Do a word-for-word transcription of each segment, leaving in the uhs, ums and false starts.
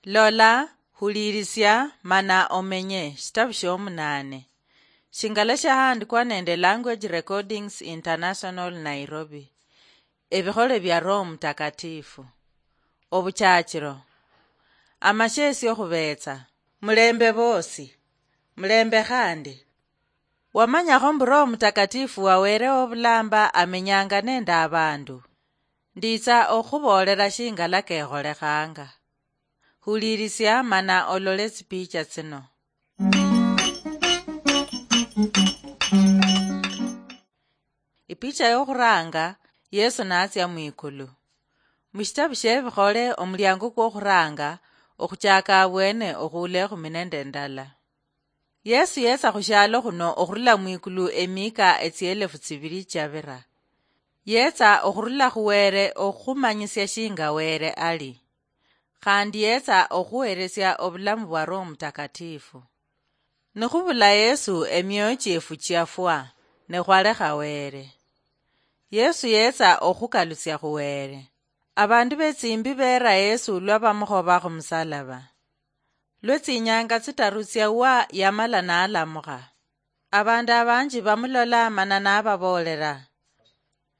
Lola, huliirisia, mana omenye. Shitabu shiomunaane. Shingala shahandikwa nende Language Recordings International, Nairobi. Ebikhole bia Roho Mutakatifu. Obuchachiro. Amasheesi okhubeetsa. Mulembe boosi. Mulembe khandi. Wamanyakho mbu Roho Mutakatifu wa Wele wobulamba amenyanga nende abandu? Nditsa okhuboolera shingala kekholekhanga. Hulirisia mana olole tsipicha tsino. Ipicha yokhuranga, Yesu natsia mwikulu. Mushitabu shiebikhole, omuliango kwokhuranga okhuchaka abwene okhuula ekhumi nende ndala. Yesu yetsa khushialo khuno okhurula mwikulu emiika etsielefu tsibili chiabira. Yetsa okhurula khu Wele okhumanyisia shinga Wele ali. Khandi yetsa okhuheresia obulamu bwa Roho Mutakatifu. Nikhubula Yesu, emioyo chiefu chiafwa, ne khwalekha Wele. Yesu yetsa okhukalusia khu Wele. Abandu betsimbi beera Yesu lwa bamukhoba khumusalaba. Lwe tsinyanga tsitaru tsiawa yamala nalamukha. Abandu abanji bamulola mana nababoolera,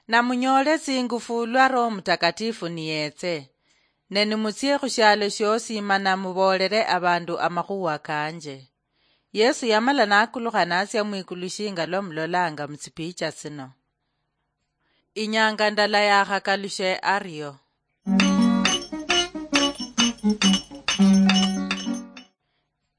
"Namunyoole tsingufu lwa Roho Mutakatifu niyetse, ne nimutsie khushialo shiosi mana muboolere abandu amakhuwa kanje." Yesu yamala nakulukha natsia mwikulu shinga lwa mulolanga mutsipicha tsino. Inyanga ndala yakhakalushe ario.